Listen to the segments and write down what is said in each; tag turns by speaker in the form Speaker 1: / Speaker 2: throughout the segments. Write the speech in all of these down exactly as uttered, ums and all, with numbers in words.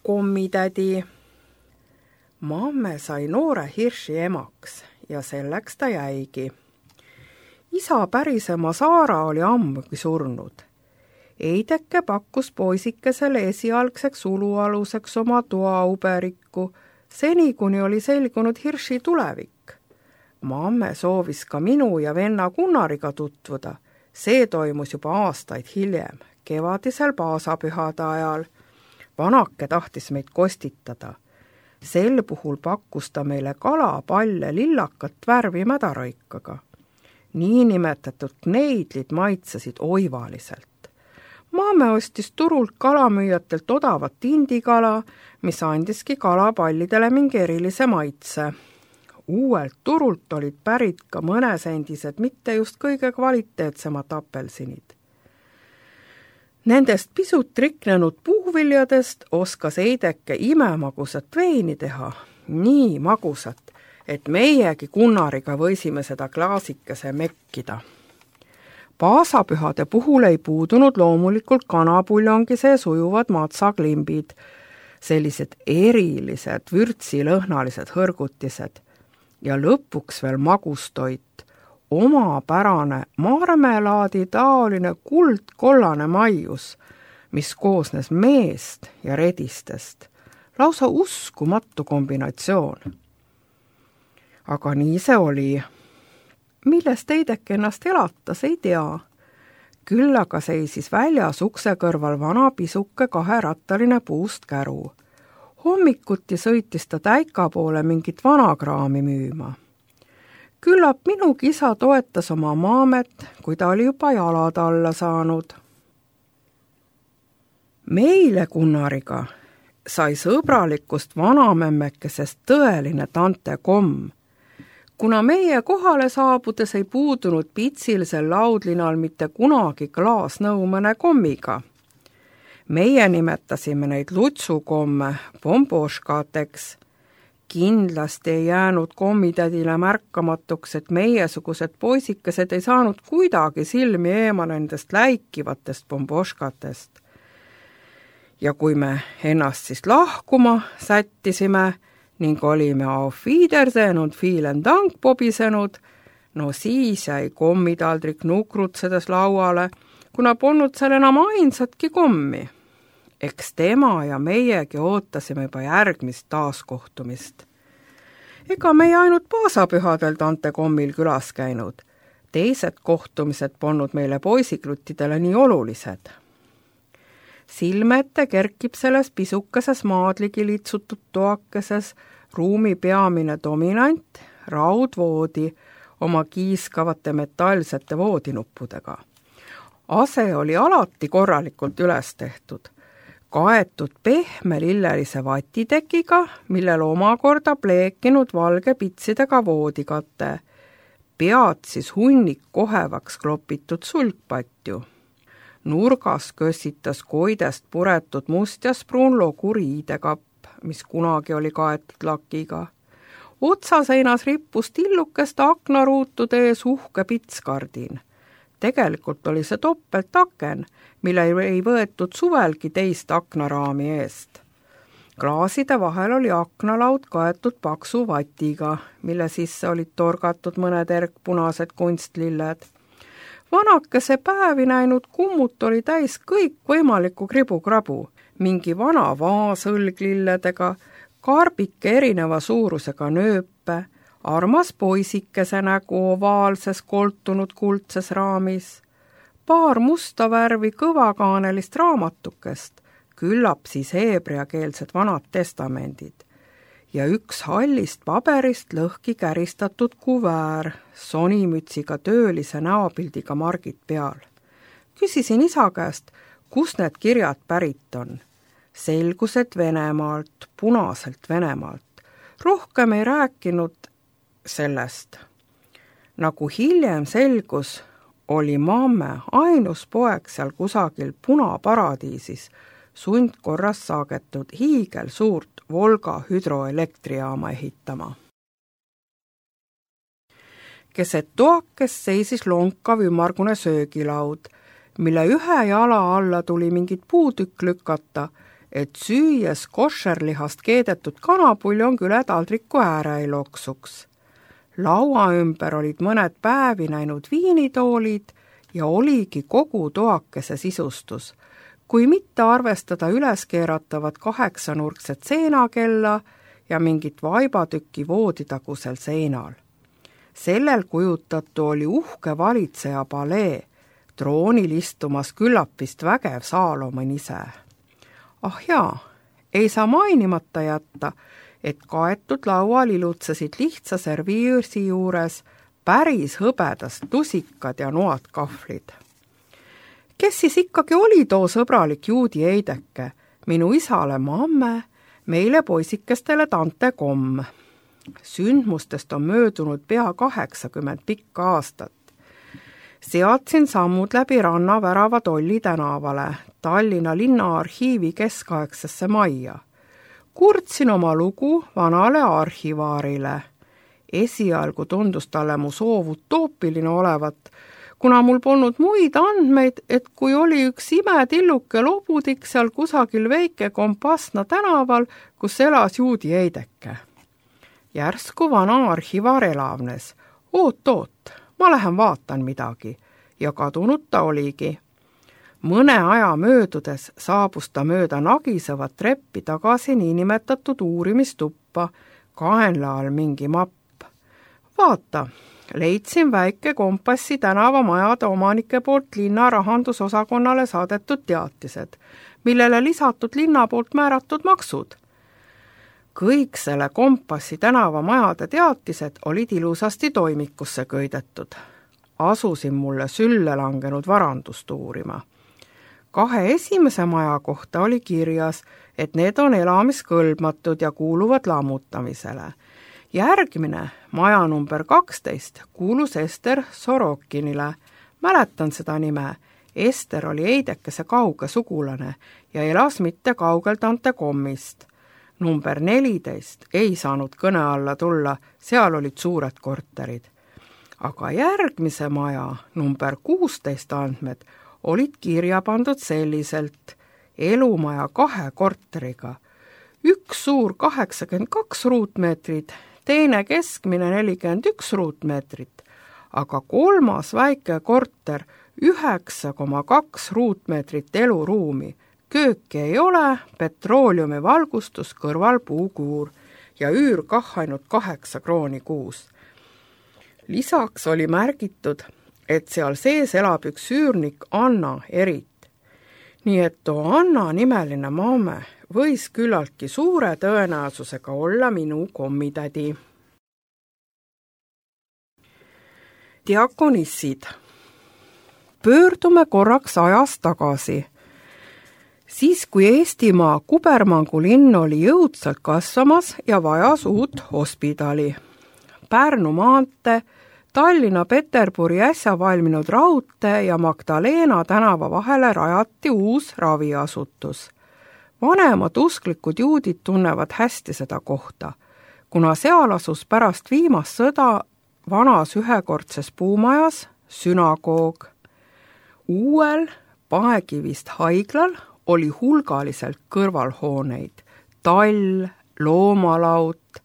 Speaker 1: kommitädi. Mamme sai noore hirši emaks ja selleks ta jäigi. Isa pärisema Saara oli ammugi surnud. Eideke pakkus poisikesele esialgseks ulualuseks oma toauberikku, seni kuni oli selgunud hirši tulevik. Mamme soovis ka minu ja venna Gunnariga tutvuda. See toimus juba aastaid hiljem, kevadisel paasapühade ajal. Vanake tahtis meid kostitada. Sel puhul pakkus ta meile kala, palle, lillakat värvi mädaroikaga. Niinimetatud kneidlid maitsesid oivaliselt. Maame ostis turult kalamüüjatelt odavat indikala, mis andiski kalapallidele mingi erilise maitse. Uuelt turult olid pärit ka mõnesendised, mitte just kõige kvaliteetsemad apelsinid. Nendest pisut riknenud puuviljadest oskas Eideke imemagusat veini teha, nii magusat, et meiegi Gunnariga võisime seda klaasikese mekkida. Paasapühade puhul ei puudunud loomulikult kanapuljongi sees ujuvad matsaklimbid, sellised erilised vürtsilõhnalised hõrgutised ja lõpuks veel magustoit, omapärane marmelaadi taoline kuldkollane maius, mis koosnes meest ja redistest. Lausa uskumatu kombinatsioon. Aga nii see oli. Millest Eideke ennast elatas, ei tea. Küll aga seisis väljas ukse kõrval vana pisuke kaherattaline puust käru. Hommikuti sõitis ta täika poole mingit vanakraami müüma. Küllap minugi isa toetas oma maamet, kui ta oli juba jalad alla saanud. Meile Gunnariga sai sõbralikust vanamemmekesest tõeline tante komm. Kuna meie kohale saabudes ei puudunud pitsilisel laudlinal mitte kunagi klaasnõu mõne kommiga. Meie nimetasime neid lutsukomme bomboškateks. Kindlasti ei jäänud kommitädile märkamatuks, et meiesugused poisikesed ei saanud kuidagi silmi eema nendest läikivatest bomboškatest. Ja kui me ennast siis lahkuma sättisime ning olime auf Wiedersehen und vielen Dank pobisenud, no siis jäi kommitaldrik nukrutsedes lauale, kuna polnud seal enam ainsatki kommi. Eks tema ja meiegi ootasime juba järgmist taaskohtumist. Ega meie ainult paasapühadel tante kommil külas käinud. Teised kohtumised polnud meile poisikluttidele nii olulised. Silmete kerkib selles pisukeses maadligi litsutud toakeses ruumi peamine dominant, raudvoodi oma kiiskavate metallsete voodinuppudega. Ase oli alati korralikult üles tehtud. Kaetud pehme lillelise vatitekiga, millel omakorda pleekinud valge pitsidega voodikate. Pead siis hunnik kohevaks klopitud sulgpatju. Nurgas kössitas koidest puretud mustjaspruun loguriidekapp, mis kunagi oli kaetud lakiga. Otsaseinas rippus tillukest aknaruutude ees uhke pitskardin. Tegelikult oli see toppeltaken, mille ei võetud suvelgi teist aknaraami eest. Klaaside vahel oli aknalaud kaetud paksu vatiga, mille sisse olid torgatud mõned erkpunased kunstlilled. Vanakese päevi näinud kummut oli täis kõik võimalikku kribukrabu, mingi vana vaas õlglilledega, karbike erineva suurusega nööpe, armas poisikese nägu ovaalses koltunud kuldses raamis, paar musta värvi kõvakaanelist raamatukest, küllap siis heebreakeelsed vanad testamendid ja üks hallist paberist lõhki käristatud kuväär, sonimütsiga töölise näopildiga margid peal. Küsisin isa käest, kus need kirjad pärit on. Selgus, et Venemaalt, punaselt Venemaalt. Rohkem ei rääkinud sellest. Nagu hiljem selgus, oli mamme ainus poeg seal kusagil punaparadiisis sundkorras saagetud hiigel suurt Volga hüdroelektrijaama ehitama. Keset toakes seisis lonkav ümmargune söögilaud, mille ühe jala alla tuli mingit puutükk lükata et süües koššerlihast keedetud kanapuljon küle taldriku ääre ei loksuks. Laua ümber olid mõned päevi näinud viinitoolid ja oligi kogu toakese sisustus, kui mitte arvestada üles keeratavat kaheksanurkset seenakella ja mingit vaibatükki vooditagusel seinal. Sellel kujutatu oli uhke valitseja palee, troonil istumas küllap vist vägev Saalomon ise. Ah jaa, ei saa mainimata jätta, et kaetud laual ilutsesid lihtsa serviirsi juures päris hõbedast tusikad ja noad kahvlid. Kes siis ikkagi oli too sõbralik juudi Eideke, minu isale mamme, meile poisikestele tante Komm? Sündmustest on möödunud pea kaheksakümmend pikka aastat. Seadsin sammud läbi rannavärava Tolli tänavale, Tallinna linnaarhiivi keskaegsesse majja. Kurtsin oma lugu vanale arhivaarile. Esialgu tundus talle mu soov utoopiline olevat, kuna mul polnud muid andmeid, et kui oli üks imetilluke lobudik seal kusagil väike Kompassna tänaval, kus elas juudi Eideke. Järsku vana arhivaar elavnes. Oot, oot, ma lähen vaatan midagi. Ja kadunud ta oligi. Mõne aja möödudes saabus ta mööda nagisevat treppi tagasi niinimetatud uurimistuppa, kaenla all mingi mapp. Vaata, leidsin väike Kompassi tänavamajade omanike poolt linna rahandusosakonnale saadetud teatised, millele lisatud linna poolt määratud maksud. Kõik selle Kompassi tänavamajade teatised olid ilusasti toimikusse köidetud. Asusin mulle sülle langenud varandust uurima. Kahe esimese maja kohta oli kirjas, et need on elamiskõlbmatud ja kuuluvad lammutamisele. Järgmine, maja number kaksteist, kuulus Ester Sorokinile. Mäletan seda nime. Ester oli Eidekese kauge sugulane ja elas mitte kaugel tante Kommist. Number neliteist ei saanud kõne alla tulla, seal olid suured korterid. Aga järgmise maja, number kuusteist andmed, olid kirja pandud selliselt: elumaja kahe korteriga. Üks suur kaheksakümmend kaks ruutmeetrit, teine keskmine nelikümmend üks ruutmeetrit, aga kolmas väike korter üheksa koma kaks ruutmeetrit eluruumi. Kööki ei ole, petrooliumi valgustus, kõrval puukuur ja üür kah ainult kaheksa krooni kuus. Lisaks oli märgitud, et seal sees elab üks üürnik Anna Erit. Nii et too Anna nimeline maame võis küllaltki suure tõenäosusega olla minu kommitädi. Diakonissid. Pöördume korraks ajas tagasi. Siis, kui Eestimaa Kubermangu linn oli jõudsalt kasvamas ja vajas uut hospidali. Pärnu maantee, Tallinna Peterburi äsja valminud raudtee ja Magdalena tänava vahele rajati uus raviasutus. Vanemad usklikud juudid tunnevad hästi seda kohta, kuna seal asus pärast viimast sõda vanas ühekordses puumajas sünagoog. Uuel Paekivist haiglal oli hulgaliselt kõrvalhooneid, tall, loomalaut,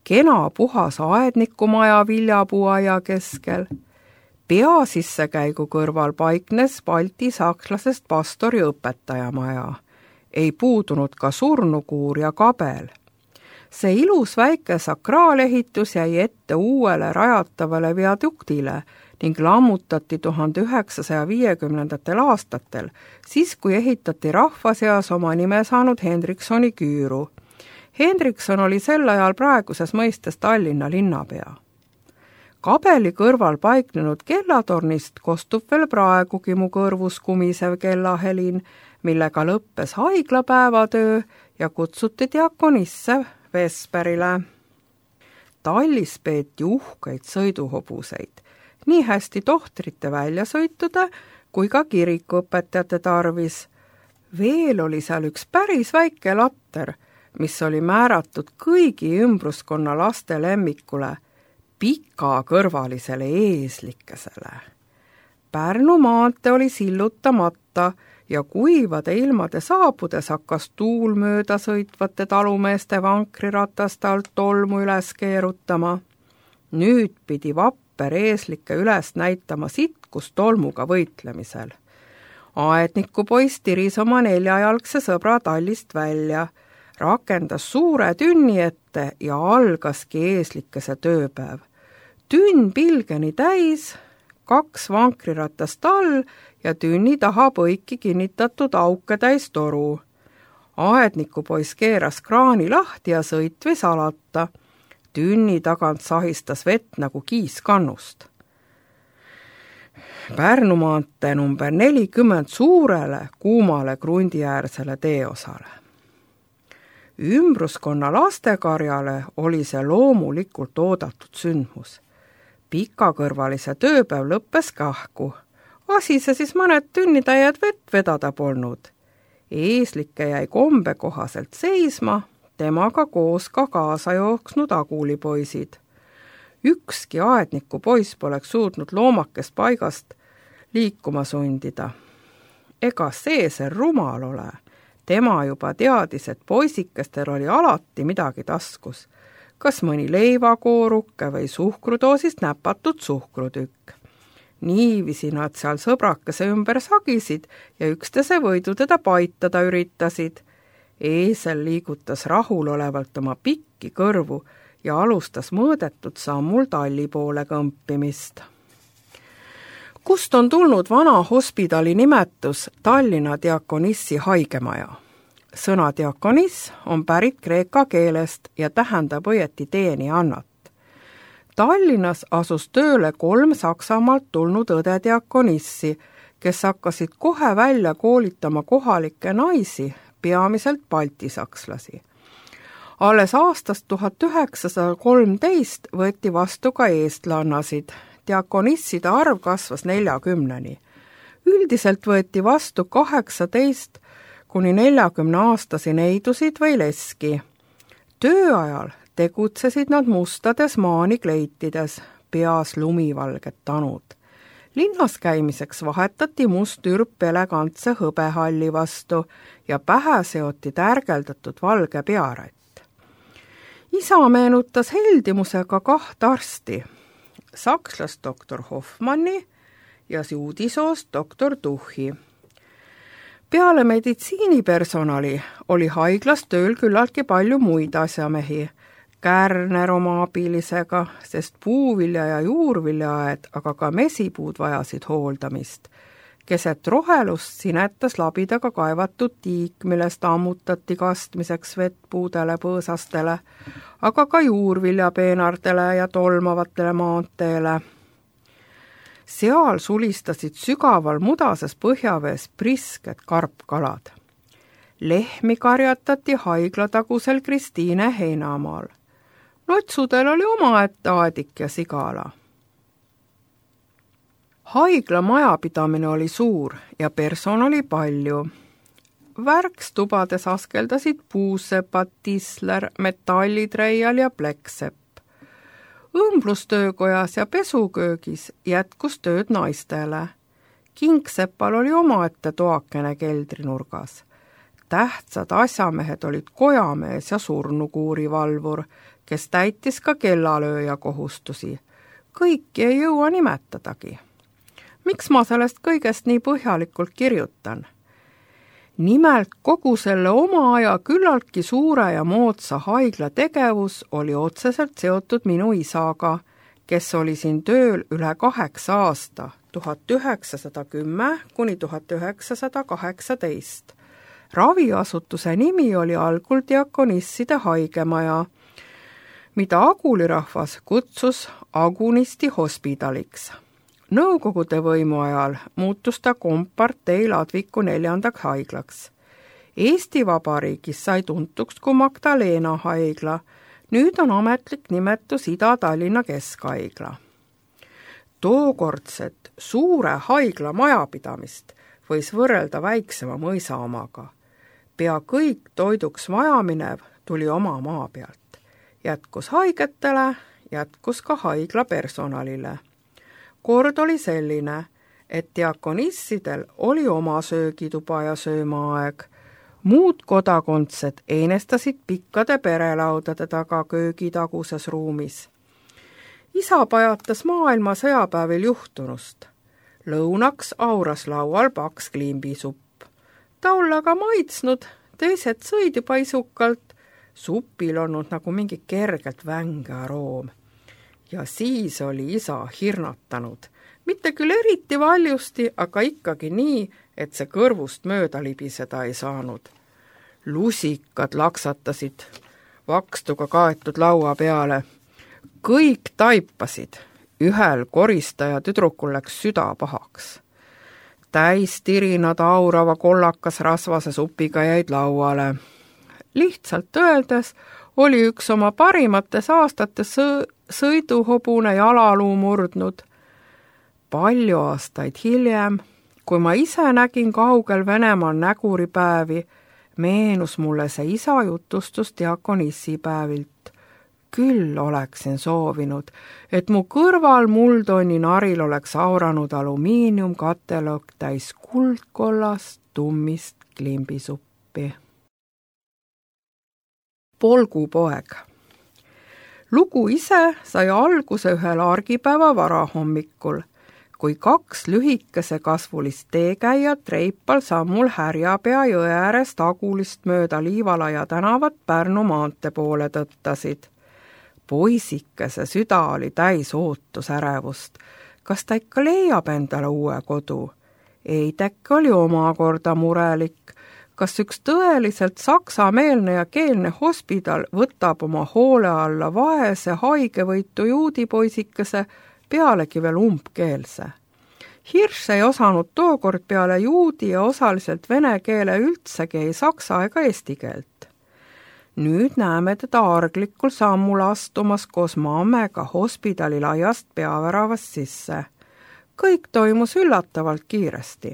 Speaker 1: kena puhas aednikumaja viljapuuaia keskel. Pea sissekäigu kõrval paiknes balti-sakslasest pastori õpetajamaja. Ei puudunud ka surnukuur ja kabel. See ilus väike sakraalehitus jäi ette uuele rajatavale viaduktile ning lammutati tuhande üheksasaja viiekümnendatel aastatel, siis kui ehitati rahva seas oma nime saanud Hendriksoni küüru. Hendrikson oli sel ajal praeguses mõistes Tallinna linnapea. Kabeli kõrval paiknenud kellatornist kostub veel praegugi mu kõrvus kumisev kellahelin, millega lõppes haiglapäevatöö ja kutsuti diakonisse vesperile. Tallis peeti uhkeid sõiduhobuseid, nii hästi tohtrite väljasõitude kui ka kirikuõpetajate tarvis. Veel oli seal üks päris väike latter, mis oli määratud kõigi ümbruskonna laste lemmikule, pikakõrvalisele eeslikesele. Pärnu maantee oli sillutamata ja kuivade ilmade saabudes hakkas tuul mööda sõitvate talumeeste vankriratast alt tolmu üles keerutama. Nüüd pidi vapper eeslikke üles näitama sitkus tolmuga võitlemisel. Aedniku poiss tiris oma neljajalgse sõbra tallist välja, rakendas suure tünni ette ja algaski eeslikese tööpäev. Tünn pilgeni täis, kaks vankriratast all ja tünni taha põiki kinnitatud auke täis toru. Aedniku poiss keeras kraani lahti ja sõitvis alata. Tünni tagant sahistas vett nagu kiiskannust. Pärnu maantee number nelikümmend suurele kuumale krundiäärsele teeosale. Ümbruskonna lastekarjale oli see loomulikult oodatud sündmus. Pikakõrvalise tööpäev lõppes kahku. Asi see siis mõned tünnitäied vett vedada polnud. Eeslike jäi kombe kohaselt seisma, temaga koos ka kaasa jooksnud agulipoisid. Ükski aedniku poiss poleks suutnud loomakest paigast liikuma sundida. Ega see see rumal ole. Tema juba teadis, et poisikestel oli alati midagi taskus. Kas mõni leivakooruke või suhkrudoosist näpatud suhkrutükk. Niivisi nad seal sõbrakese ümber sagisid ja ükstese võidu teda paitada üritasid. Eesel liigutas rahulolevalt oma pikki kõrvu ja alustas mõõdetud sammul talli poole kõmpimist. Kust on tulnud vana hospidali nimetus Tallinna diakonissi haigemaja? Sõna diakoniss on pärit kreeka keelest ja tähendab õieti teenijannat. Tallinnas asus tööle kolm Saksamaalt tulnud õde diakonissi, kes hakkasid kohe välja koolitama kohalikke naisi, peamiselt baltisakslasi. Alles aastast tuhat üheksasada kolmteist võeti vastu ka eestlannasid. Diakonisside arv kasvas neljakümneni. Üldiselt võeti vastu kaheksateist kuni neljakümne aastasi neidusid või leski. Tööajal tegutsesid nad mustades maanikleitides, peas lumivalged tanud. Linnas käimiseks vahetati must ürp elegantse hõbehalli vastu ja pähe seoti tärgeldatud valge pearätt. Isa meenutas heldimusega kaht arsti, sakslast doktor Hoffmanni ja juudisoost doktor Tuchi. Peale meditsiinipersonali oli haiglas tööl küllaltki palju muid asjamehi, Kärner oma abilisega, sest puuvilja ja juurviljaaed, aga ka mesipuud vajasid hooldamist. Keset rohelust sinetas labidaga kaevatud tiik, millest ammutati kastmiseks vett puudele põõsastele, aga ka juurviljapeenardele ja tolmavatele maanteele. Seal sulistasid sügaval mudases põhjavees prisked karpkalad. Lehmi karjatati haiglatagusel Kristiine heinamaal. Lotsudel oli omaette aadik ja sigala. Haigla majapidamine oli suur ja personali palju. Värkstubades askeldasid puusepad, tisler, metallitreial ja pleksepp. Õmblustöökojas ja pesuköögis jätkus tööd naistele. Kingsepal oli omaette toakene keldrinurgas. Tähtsad asjamehed olid kojamees ja surnukuurivalvur, kes täitis ka kellalööja kohustusi. Kõiki ei jõua nimetadagi. Miks ma sellest kõigest nii põhjalikult kirjutan? Nimelt kogu selle oma aja küllaltki suure ja moodsa haigla tegevus oli otseselt seotud minu isaga, kes oli siin tööl üle kaheksa aasta, tuhat üheksasada kümme kuni tuhat üheksasada kaheksateist. Raviasutuse nimi oli algul diakonisside haigemaja, mida agulirahvas kutsus Agunisti hospidaliks. Nõukogude võimu ajal muutus ta kompartei Ladviku neljandaks haiglaks. Eesti Vabariigis sai tuntuks kui Magdalena haigla, nüüd on ametlik nimetus Ida-Tallinna Keskhaigla. Tookordset suure haigla majapidamist võis võrrelda väiksema mõisa omaga. Pea kõik toiduks vajaminev tuli oma maa pealt. Jätkus haigetele, jätkus ka haigla personalile. Kord oli selline, et diakonissidel oli oma söögituba ja söömaaeg. Muud kodakondsed einestasid pikkade perelaudade taga köögitaguses ruumis. Isa pajatas maailma sõjapäevil juhtunust. Lõunaks auras laual paks kliimbisupp. Ta olla ka maitsnud, teised sõid juba isukalt, supil olnud nagu mingi kergelt vänge aroom. Ja siis oli isa hirnatanud. Mitte küll eriti valjusti, aga ikkagi nii, et see kõrvust mööda libiseda ei saanud. Lusikad laksatasid vakstuga kaetud laua peale. Kõik taipasid. Ühel koristaja tüdrukul läks süda pahaks. Täis tirinad aurava kollakas rasvase supiga jäid lauale. Lihtsalt öeldes oli üks oma parimates aastates sõiduhobune jalaluu murdnud. Palju aastaid hiljem, kui ma ise nägin kaugel Venemaal näguripäevi, meenus mulle see isa jutustus diakonissipäevilt. Küll oleksin soovinud, et mu kõrval muldonni naril oleks auranud alumiiniumkatelõk täis kuldkollast tummist klimbisuppi. Polgupoeg. Lugu ise sai alguse ühel argipäeva varahommikul, kui kaks lühikese kasvulist teekäijat reipal sammul Härjapea jõe äärest Agulist mööda Liivalaia tänavat Pärnu maante poole tõttasid. Poisikese süda oli täis ootusärevust. Kas ta ikka leiab endale uue kodu? Eidek oli omakorda murelik. Kas üks tõeliselt saksameelne ja keelne hospidal võtab oma hoole alla vaese haigevõitu juudipoisikese, pealegi veel umbkeelse? Hirš ei osanud tookord peale juudi ja osaliselt vene keele üldsegi ei saksa ega eesti keelt. Nüüd näeme teda arglikul sammul astumas koos mammega hospidali laiast peaväravast sisse. Kõik toimus üllatavalt kiiresti.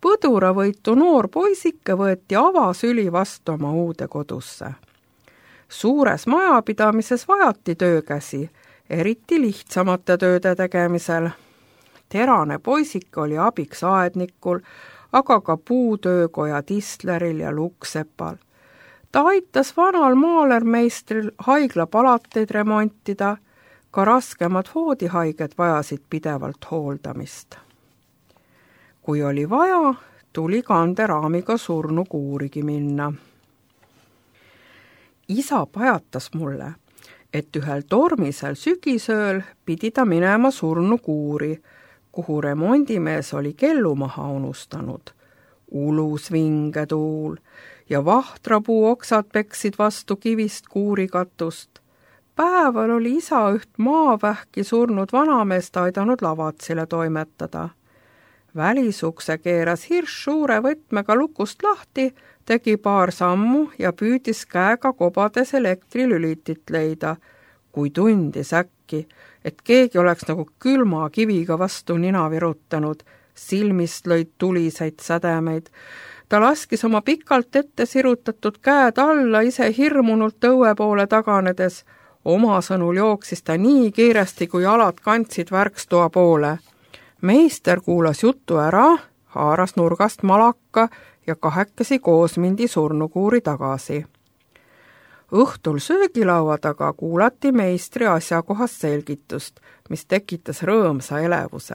Speaker 1: Põduravõitu noor poisike võeti avasüli vastu oma uude kodusse. Suures majapidamises vajati töökäsi, eriti lihtsamate tööde tegemisel. Terane poisik oli abiks aednikul, aga ka puutöökoja Tistleril ja Luksepal. Ta aitas vanal maalermeistril haiglapalateid remontida, ka raskemad voodihaiged vajasid pidevalt hooldamist. Kui oli vaja, tuli kanderaamiga surnu kuurigi minna. Isa pajatas mulle, et ühel tormisel sügisööl pidi ta minema surnu kuuri, kuhu remondimees oli kellu maha unustanud. Ulus vinge tuul ja vahtrapuu oksad peksid vastu kivist kuurikatust. Päeval oli isa üht maavähki surnud vanameest aidanud lavatsile toimetada. Välisukse keeras Hirš suure võtmega lukust lahti, tegi paar sammu ja püüdis käega kobades elektrilülitit leida, kui tundis äkki, et keegi oleks nagu külma kiviga vastu nina virutanud, silmist lõid tuliseid sädemeid. Ta laskis oma pikalt ette sirutatud käed alla, ise hirmunult õue poole taganedes. Oma sõnul jooksis ta nii kiiresti, kui jalad kandsid värkstoa poole. Meister kuulas jutu ära, haaras nurgast malaka ja kahekesi koos mindi surnukuuri tagasi. Õhtul söögilaua taga kuulati meistri asjakohast selgitust, mis tekitas rõõmsa elevuse.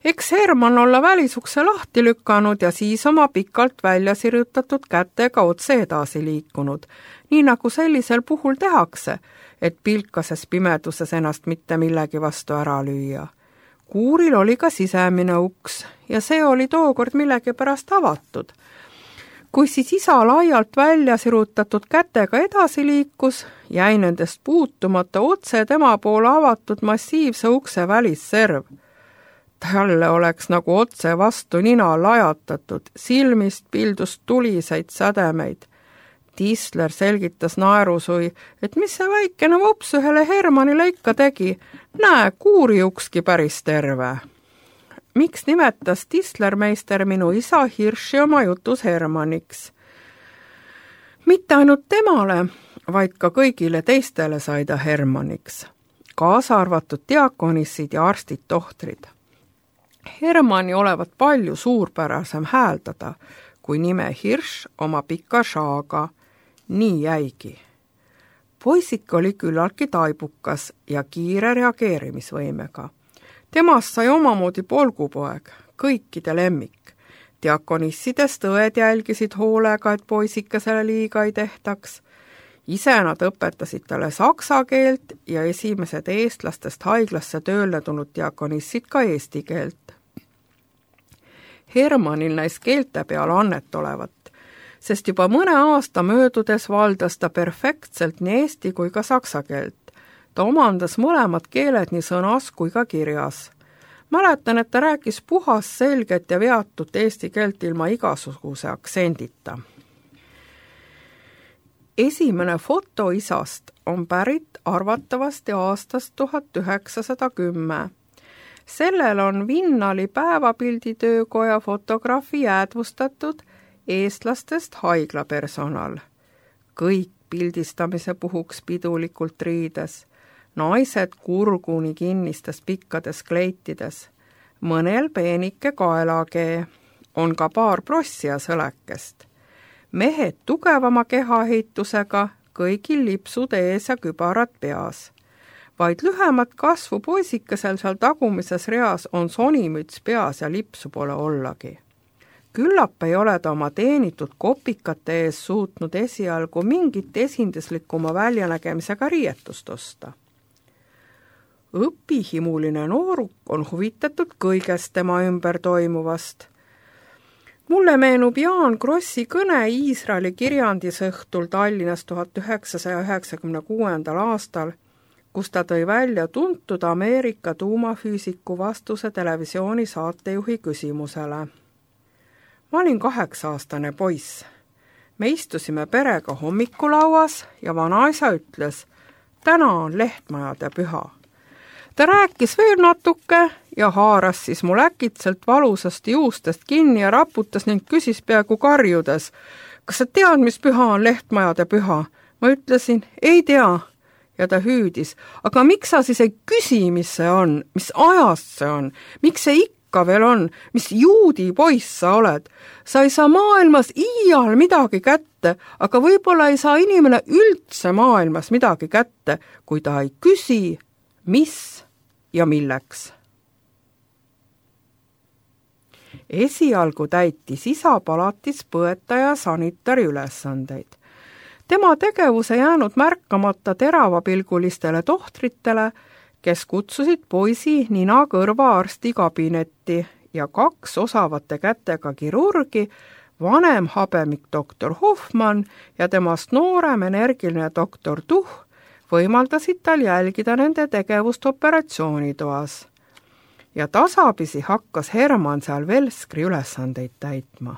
Speaker 1: Eks Herman olla välisukse lahti lükanud ja siis oma pikalt välja sirutatud kätega otse edasi liikunud, nii nagu sellisel puhul tehakse, et pilkases pimeduses ennast mitte millegi vastu ära lüüa. Kuuril oli ka sisemine uks ja see oli tookord millegipärast avatud. Kui siis isa laialt välja sirutatud kätega edasi liikus, jäi nendest puutumata otse tema poole avatud massiivse ukse välisserv. Talle oleks nagu otse vastu nina lajatatud, silmist pildust tuliseid sädemeid. Tistler selgitas naerusui, et mis see väikene vops ühele Hermanile ikka tegi, näe, kuuri ukski päris terve. Miks nimetas Tistlermeister minu isa Hirši oma jutus Hermaniks? Mitte ainult temale, vaid ka kõigile teistele sai ta Hermaniks, kaasa arvatud diakonissid ja arstid-tohtrid. Hermanni olevat palju suurpärasem hääldada kui nime Hirš oma pika šaaga. Nii jäigi. Poisik oli küllaltki taibukas ja kiire reageerimisvõimega. Temast sai omamoodi polgupoeg, kõikide lemmik. Diakonissidest õed jälgisid hoolega, et poisikesele liiga ei tehtaks. Ise nad õpetasid talle saksa keelt ja esimesed eestlastest haiglasse tööle tulnud diakonissid ka eesti keelt. Hermannil näis keelte peal annet olevat, sest juba mõne aasta möödudes valdas ta perfektselt nii eesti kui ka saksa keelt. Ta omandas mõlemad keeled nii sõnas kui ka kirjas. Mäletan, et ta rääkis puhas, selget ja veatut eesti keelt ilma igasuguse aktsendita. Esimene foto isast on pärit arvatavasti aastast tuhat üheksasada kümme. Sellel on Vinnali päevapilditöökoja fotograafi jäädvustatud eestlastest haiglapersonal. Kõik pildistamise puhuks pidulikult riides, naised kurguni kinnistes pikkades kleitides, mõnel peenike kaelakee, on ka paar prossi ja sõlekest. Mehed tugevama kehaehitusega, kõigil lipsud ees ja kübarad peas. Vaid lühemat kasvu poisikesel seal tagumises reas on sonimüts peas ja lipsu pole ollagi. Küllap ei ole ta oma teenitud kopikate ees suutnud esialgu mingit esinduslikuma väljanägemisega riietust osta. Õpihimuline nooruk on huvitatud kõigest tema ümber toimuvast. Mulle meenub Jaan Krossi kõne Iisraeli kirjandisõhtul Tallinnas tuhat üheksasaja üheksakümne kuuendal aastal, kus ta tõi välja tuntud Ameerika tuumafüüsiku vastuse televisiooni saatejuhi küsimusele. Ma olin kaheksa-aastane poiss. Me istusime perega hommikulauas ja vanaisa ütles, täna on lehtmajade püha. Ta rääkis veel natuke ja haaras siis mul äkitselt valusast juustest kinni ja raputas ning küsis peaaegu karjudes, kas sa tead, mis püha on lehtmajade püha? Ma ütlesin, ei tea. Ja ta hüüdis, aga miks sa siis ei küsi, mis see on, mis ajast see on, miks see ikka veel on, mis juudi poiss sa oled? Sa ei saa maailmas iial midagi kätte, aga võib-olla ei saa inimene üldse maailmas midagi kätte, kui ta ei küsi, mis ja milleks. Esialgu täitis isa palatis põetaja sanitari ülesandeid. Tema tegevuse jäänud märkamata teravapilgulistele tohtritele, kes kutsusid poisi nina kõrva arsti kabinetti ja kaks osavate kätega kirurgi, vanem habemik doktor Hoffmann ja temast noorem energiline doktor Tuh, võimaldasid tal jälgida nende tegevust operatsioonitoas. Ja tasapisi hakkas Hermann seal Velskri ülesandeid täitma.